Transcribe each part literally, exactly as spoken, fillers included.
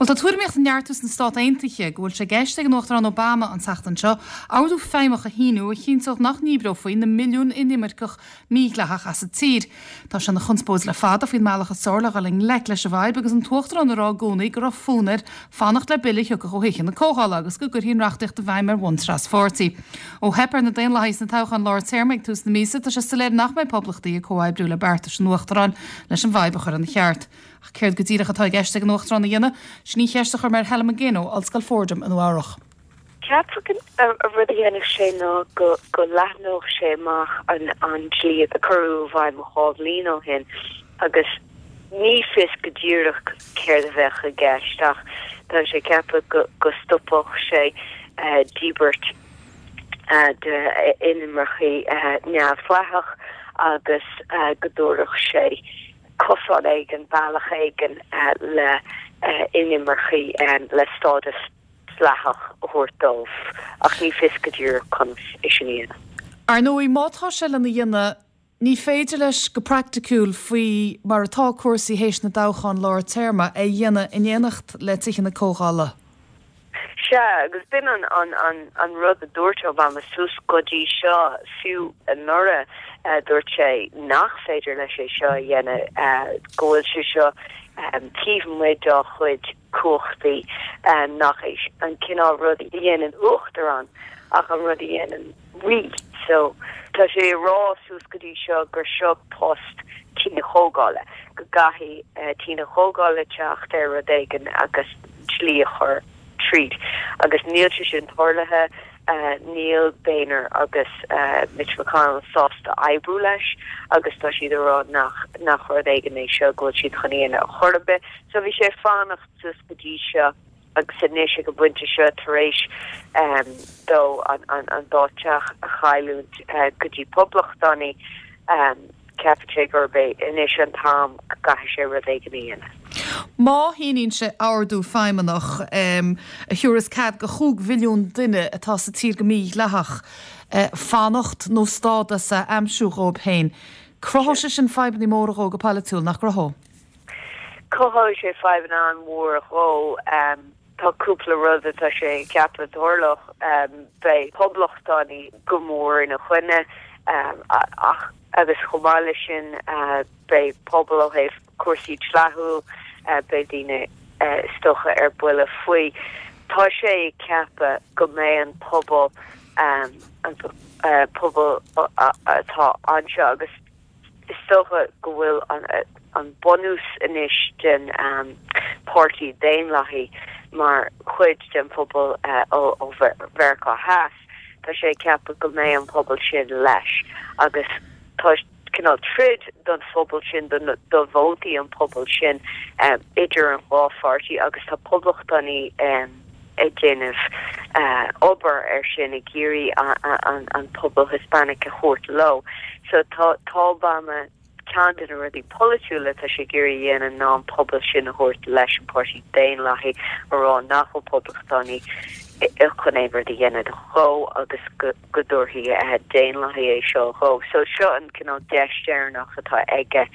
Bhuel, tá tuairimíocht ag neartú sna Stáit Aontaithe go bhfuil sé i gceist ag an Uachtarán Obama an tseachtain seo ordú feidhmeach a shíniú a chinnteodh nach ndíbreofaí na milliúin inimirceach mídhleathach as an tír. Tá sé ina chonspóid le fada faoin mbealach is fearr le dhul i ngleic leis an bhfadhb agus an tUachtarán ag rá i gcónaí go raibh fonn air fanacht le bille a thiocfadh ó Thithe na Comhdhála agus go gcuirfí an reachtaíocht i bhfeidhm ar bhonn traspháirtí. Ó theip ar na Daonlathaigh sna toghcháin lár téarma ag tús na míosa, tá sé soiléir nach mbeidh poblachtaigh ag comhoibriú le beartais an Uachtaráin leis an bhfadhb a chur ina cheart. Ach céard go díreach atá i gceist ag an Uachtarán a dhéanamh, sin í an cheist a chuir mé ar Helen McGinn ó Ollscoil Fordham i Nua-Eabhrac. Ceapaim an rud a dhéanfadh sé ná go go leathnódh sé amach an an dlí a cuireadh i bhfeidhm dhá bhliain ó shin agus ní fios go díreach céard a bheadh i gceist ach tá sé ceaptha go go stopfadh sé uh, díbirt uh, de inimircigh uh, neamhdhleathach agus uh, go dtabharfadh sé cosán éigin bealach éigin uh, le uh, inimircigh um, le stádas dleathach a thabhairt dóibh ach ní fios go díreach conas é sin a dhéanamh. Ar ndóigh má tá sé lena dhéanamh ní féidir leis go praiticiúil faoi mar atá cúrsaí théis na dtoghchán lár téarma é a dhéanamh in éineacht le Tithe na Comhdhála. Sea agus b'in an an an an rud a dúirt Obama suas go dtí seo fiú anuraidh uh, dúirt sé nach féidir leis é seo a dhéanamh uh, go bhfuil sé seo um, taobh amuigh dá chuid cumhachtaí um, nach é an cineál rud a dhéanann uachtarán ach an rud a dhéanann rí. So tá sé ag rá suas go dtí seo gur seo post Tigh na Comhdhála go gcaithfidh uh, Tigh na Comhdhála teacht ar rud éigin agus dlí a chur tríd agus níl sé sin tarlaithe uh, níl Boehner agus uh, Mitch McConnell sásta oibriú leis agus tá siad rá nach nach rud éigin é seo go bhfuil siad chun é a chorbe so bhí sé fanacht suas go dtí seo agus anois ag an bpointe seo tar éis um, dó an, an, an dá theach a chailliúint uh, go dtí poblachtánaigh um, ceapann sé gurb é anois an t-am go gcaithfidh sé rud éigin a dhéanamh. Má shíníonn sé ordú feidhmeannach um, a thabharfas cead do chúig mhilliún duine atá sa tír go mídhleathach uh, fanacht nó stádas a aimsiú dóibh féin. Cruthóidh sé sin fadhbanna móra dó go polaitiúil nach gcruthóidh? Cruthóidh sé fadhbanna an-mhór dhó um, tá cúpla rud atá sé ceaptha tarlódh um, beidh poblachtánaigh go mór ina choinne um, ach agus chomh maith leis sin uh, beidh pobal ó thaobh cúrsaí dlíthiúil uh, beidh daoine uh, is dócha ar buile faoi. Tá sé ceaptha go mbeidh an pobal um, an uh, pobal atá anseo agus is dócha go bhfuil an, an bunús anois den um, Páirtí Daonlathaí mar chuid den phobal uh, ó, ó Mheiriceá Theas. Tá sé ceaptha go mbeidh an pobal sin leis agus tá cineál troid don phobal sin do vótaí an pobal sin um, idir an dhá pháirtí agus tá poblachtánaigh um, ag déanamh uh, obair ar sin ag iarraidh an, an pobal Hispanic a thabhairt leo. So tá tá Obama ceann de na rudaí polaitiúla tá sé ag iarraidh a dhéanamh ná an pobal sin a thabhairt leis an Páirtí Daonlathaí a rá nach bhfuil poblachtánaigh chun aon rud a dhéanamh dhó agus go dtabharfaidh Daonlathaigh é seo dhó. So seo an cineál deis dheireanach atá aige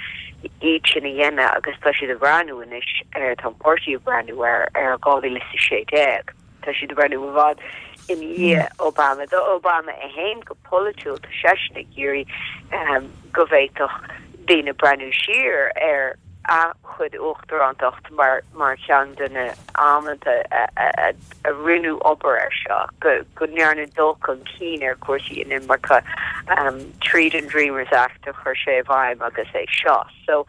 iad sin a dhéanamh agus tá siad ag breathnú anois ar tá páirtí ag breathnú ar ar dhá mhíle is sé déag. Tá siad ag breathnú i bhfad i ndiaidh Obama do Obama é féin go polaitiúil tá seisean ag iarraidh um, go bhféadfadh daoine breathnú siar ar a chuid uachtarántacht mar mar cheann de na amanta a, a rinneadh obair ar seo go go ndearnadh dul chun cinn ar chúrsaí inimirce um, tríd an Dreamers Act a chuir sé i bhfeidhm agus é seo. So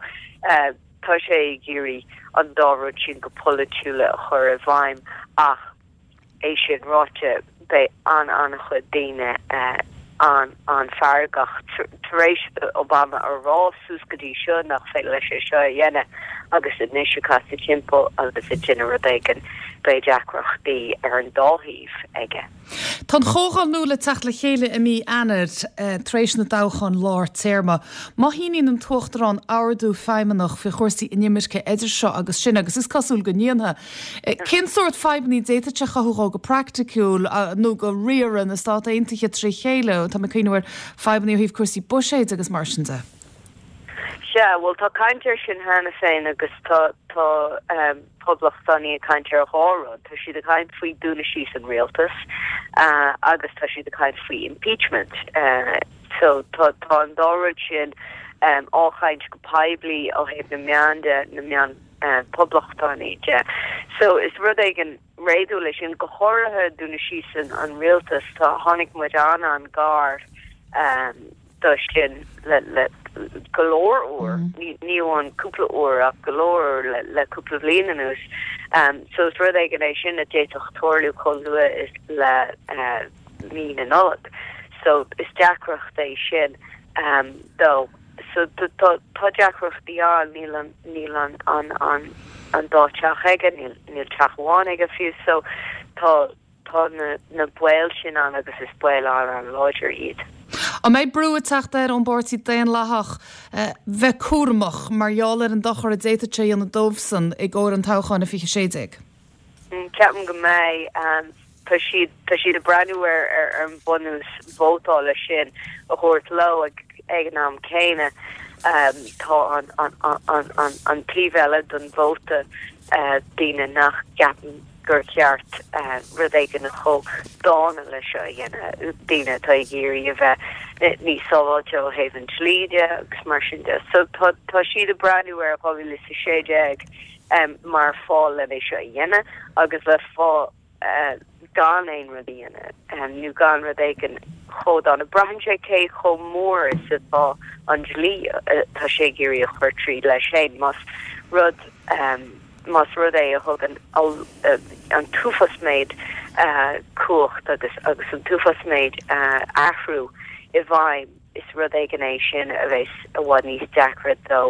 uh, tá sé ag iarraidh an dá rud sin go polaitiúla a chur i bhfeidhm ach é sin ráite beidh an an-chuid daoine uh, an an feargach tar éis Obama a rá suas go dtí seo nach féidir leis é seo a dhéanamh agus anois ag casadh timpeall agus ag déanamh rud éigin beidh deacrachtaí ar an dá thaobh aige. Tá an Chomhdháil nua le teacht le chéile i mí Eanáir eh, tar éis na dtoghchán lár téarma. Má shíníonn an tUachtarán ordú feidhmeannach faoi chúrsaí inimirce idir seo agus sin agus is cosúil go ndéanfaidh. Eh, cén sórt fadhbanna a d'fhéadfadh sé a chothú dhó go praiticiúil nó do riaradh na Stát Aontaithe trí chéile, tá mé ag cuimhneamh ar fadhbanna ó thaobh cúrsaí buiséid agus mar sin de. Sea, bhuel tá caint air sin cheana féin agus tá tá um, poblachtánaigh ag caint ar dhá rud. Tá siad ag caint faoi dúnadh síos an rialtas uh, agus tá siad ag caint faoi impeachment. Uh, so tá tá an dá rud sin um, á chaint go poiblí ó thaobh na meán de na meán uh, poblachtánaigh de. So is rud éigin réadúil é sin go háirithe dúnadh síos an, an rialtas tá tháinig muid an an-ghar um, do sin le le go leor uair mm. ní amháin cúpla uair ach go leor le le cúpla bliain anuas um, so is rud éigin é sin a d'fhéadfadh tarlú chomh luath is le uh, mí na Nollag so is deacracht é sin um, dó so tá deacrachtaí ann níl an níl an an an an dá teach aige níl níl teach amháin aige fiú so tá tá na na baol sin ann agus is baol an an-láidir iad. An mbeidh brú ag teacht air ón bPáirtí Daonlathach eh, bheith cúramach mar gheall ar an dochar a d'fhéadfadh sé a dhéanamh dóibhsan i gcomhair an toghcháin a fiche sé déag. Mm, ceapaim go mbeidh um, tá siad tá siad ag breathnú ar ar an bunús vótála sin a thabhairt leo ag ag an am céanna um, tá an an an an an taobh eile den vóta uh, daoine nach gceapann gur ceart uh, rud éigin chomh dána leis seo a dhéanamh daoine atá ag iarraidh a bheith níos sábháilte ó thaobh an dlí de agus mar sin de. So tá tá siad ag breathnú ar dhá mhíle is a sé déag um, mar fáth le é seo a dhéanamh agus le fáth uh, gan aon rud a dhéanamh um, nó gan rud éigin chomh dána. Braitheann sé cé chomh mór is atá an dlí uh, tá sé ag iarraidh a chur tríd leis féin más rud um, más rud é a thugann an t-uafás méid uh, cumhacht agus agus an t-uafás méid uh, athrú i bhfeidhm is rud éigin é sin a bheas i bhfad níos deacra dó.